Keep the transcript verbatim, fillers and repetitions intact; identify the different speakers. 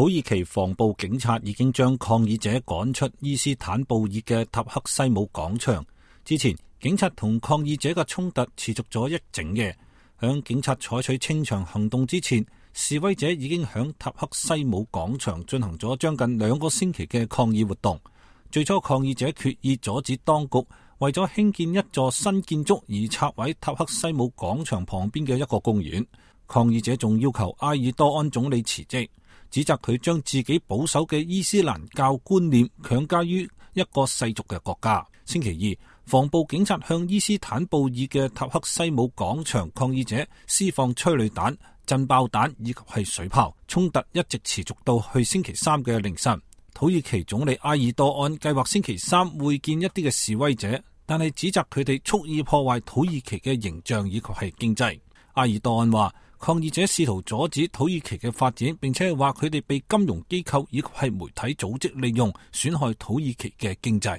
Speaker 1: 土耳其防暴警察已經將抗議者趕出伊斯坦布爾嘅塔克西姆廣場。之前，警察同抗議者嘅衝突持續咗一整夜。響警察採取清場行動之前，示威者已經響塔克西姆廣場進行咗將近兩個星期嘅抗議活動。最初，抗議者決意阻止當局為咗興建一座新建築而拆毀塔克西姆廣場旁邊嘅一個公園。抗議者仲要求埃爾多安總理辭職，指責佢將自己保守嘅伊斯蘭教觀念強加於一個世俗嘅國家。星期二，防暴警察向伊斯坦布爾嘅塔克西姆廣場抗議者施放催淚彈、震爆彈以及係水炮，衝突一直持續到去星期三嘅凌晨。土耳其總理埃爾多安計劃星期三會見一啲嘅示威者，但係指責佢哋蓄意破壞土耳其嘅形象以及係經濟。埃爾多安話，抗議者試圖阻止土耳其嘅發展，並且係話佢哋被金融機構以及係媒體組織利用，損害土耳其嘅經濟。